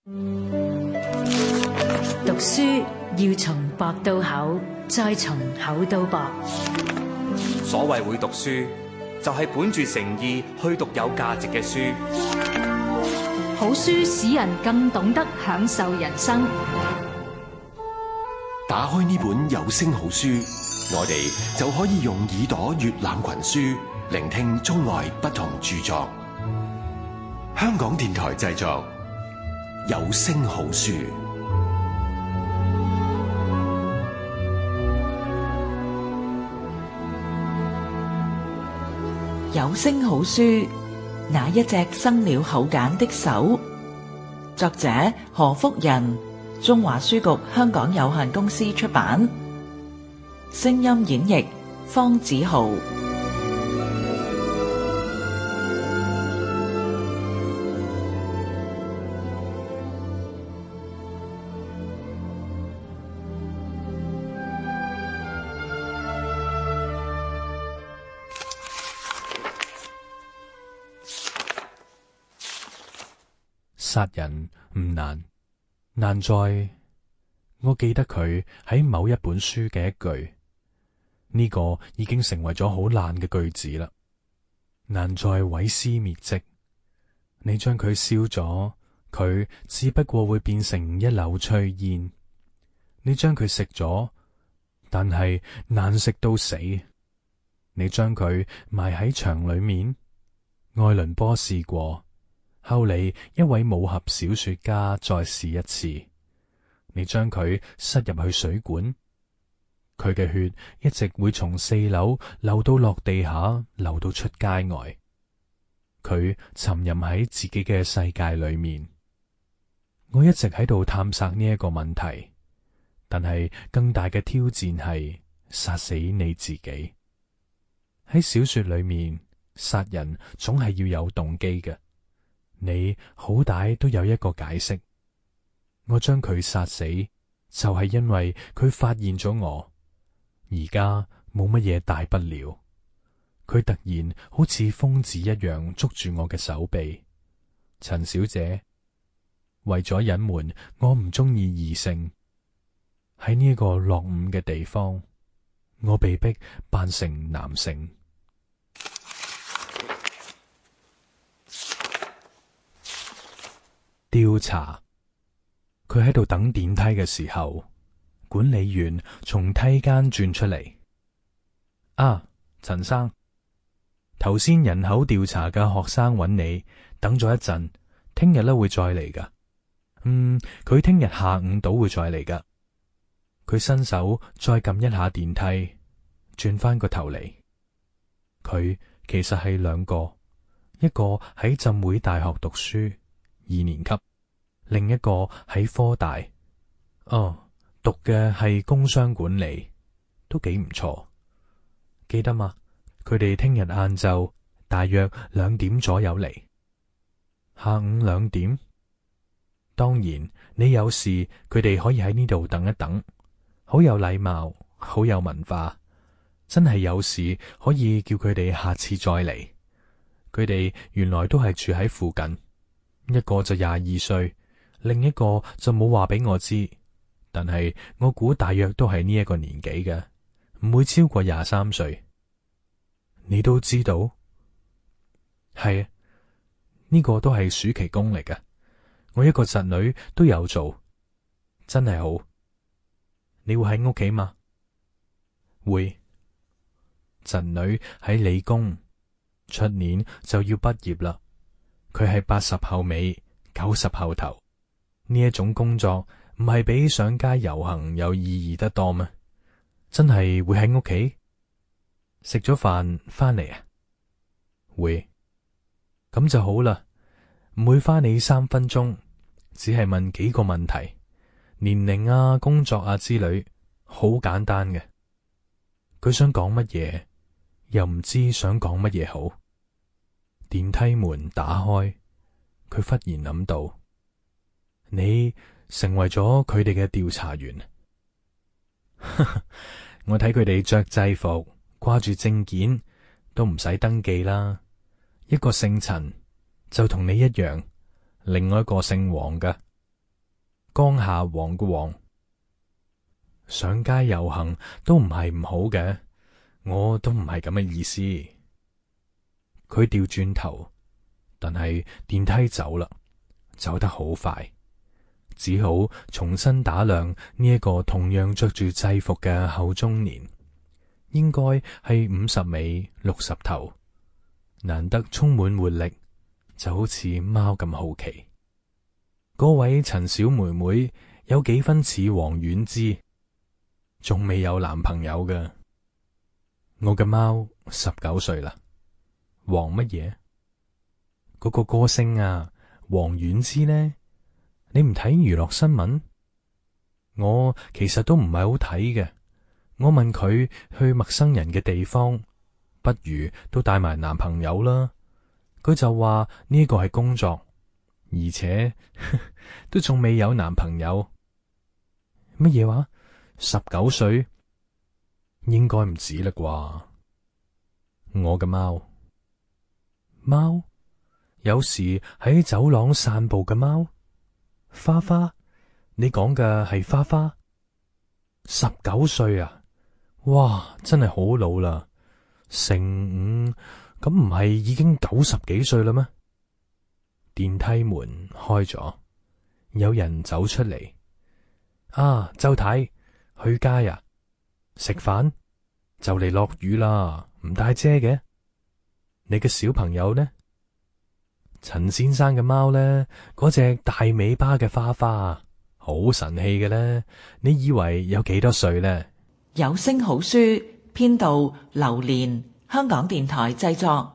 讀書要從薄到厚，再從厚到薄。所謂會讀書，就係本住誠意去讀有價值嘅書。好書使人更懂得享受人生。打開呢本有聲好書，我哋就可以用耳朵閱覽群書，聆聽中外不同著作。香港電台製作，有聲好書。有聲好書，那一隻生了口繭的手。作者何福仁，中華書局香港有限公司出版。聲音演繹方子豪。殺人唔難，難在我記得佢喺某一本書嘅一句，呢個已經成為咗好爛嘅句子啦。難在毀屍滅跡，你將佢燒咗，佢只不過會變成一縷炊煙；你將佢食咗，但係難食到死。你將佢埋喺牆裏面，愛倫坡試過。後嚟一位武俠小說家再試一次，你將佢塞入去水管，佢嘅血一直會從4樓流到落地下，流到出街外。佢沉吟喺自己嘅世界裏面。我一直喺度探索呢一個問題，但係更大嘅挑戰係殺死你自己。喺小說裏面，殺人總係要有動機嘅。你好歹都有一個解釋。我將佢殺死，就係因為佢發現咗我。而家冇乜嘢大不了。佢突然好似瘋子一樣捉住我嘅手臂。陳小姐，為咗隱瞞我唔中意異性，喺呢個落伍嘅地方，我被逼扮成男性。調查。佢喺度等電梯嘅時候，管理員從梯間轉出嚟。啊，陳生，頭先人口調查嘅學生揾你，等咗一陣，聽日咧會再嚟噶。佢聽日下午到會再嚟噶。佢伸手再撳一下電梯，轉翻個頭嚟。佢其實係兩個，一個喺浸會大學讀書2年級，另一個喺科大。讀嘅係工商管理，都幾唔錯。記得嗎？佢哋聽日晏晝大約2點左右嚟。下午2點？當然，你有事佢哋可以喺呢度等一等。好有禮貌，好有文化。真係有事可以叫佢哋下次再嚟。佢哋原來都係住喺附近。一個就22歲，另一個就冇話俾我知，但係我估大約都係呢一個年紀嘅，唔會超過23歲。你都知道？係啊，呢個都係暑期工嚟嘅，我一個侄女都有做，真係好。你會喺屋企嗎？會。侄女喺理工，出年就要畢業啦。佢係80後尾90後頭，呢一種工作唔係比上街遊行有意義得多咩？真係會喺屋企食咗飯翻嚟啊？會。咁就好啦，唔會花你3分鐘，只係問幾個問題，年齡啊、工作啊之類，好簡單嘅。佢想講乜嘢，又唔知想講乜嘢好。電梯門打開，佢忽然諗到，你成為咗佢哋嘅調查員。我睇佢哋着制服，掛住證件，都唔使登記啦。一個姓陳，就同你一樣，另外一個姓黃㗎。江夏黃嘅黃。上街遊行都唔係唔好嘅，我都唔係咁嘅意思。佢掉轉頭，但係電梯走啦，走得好快，只好重新打量呢一個同樣着住制服嘅後中年，應該係50尾60頭，難得充滿活力，就好似貓咁好奇。嗰位陳小妹妹有幾分似王菀之，仲未有男朋友嘅。我嘅貓19歲啦。王乜嘢？嗰個歌星啊，王菀之呢？你唔睇娛樂新聞？我其實都唔係好睇嘅。我問佢去陌生人嘅地方，不如都帶埋男朋友啦。佢就話呢個係工作，而且都仲未有男朋友。乜嘢話？19歲？應該唔止啦啩。我嘅貓，有時喺走廊散步嘅貓。花花，你講嘅係花花？19歲啊，哇，真係好老啦。乘5，咁唔係已經90幾歲啦咩？電梯門開咗，有人走出嚟。啊，周太，去街呀？食飯？就嚟落雨啦，唔帶遮嘅？你嘅小朋友呢？陳先生嘅貓呢？嗰隻大尾巴嘅花花，好神氣嘅呢。你以為有幾多歲呢？有聲好書編導劉蓮，香港電台製作。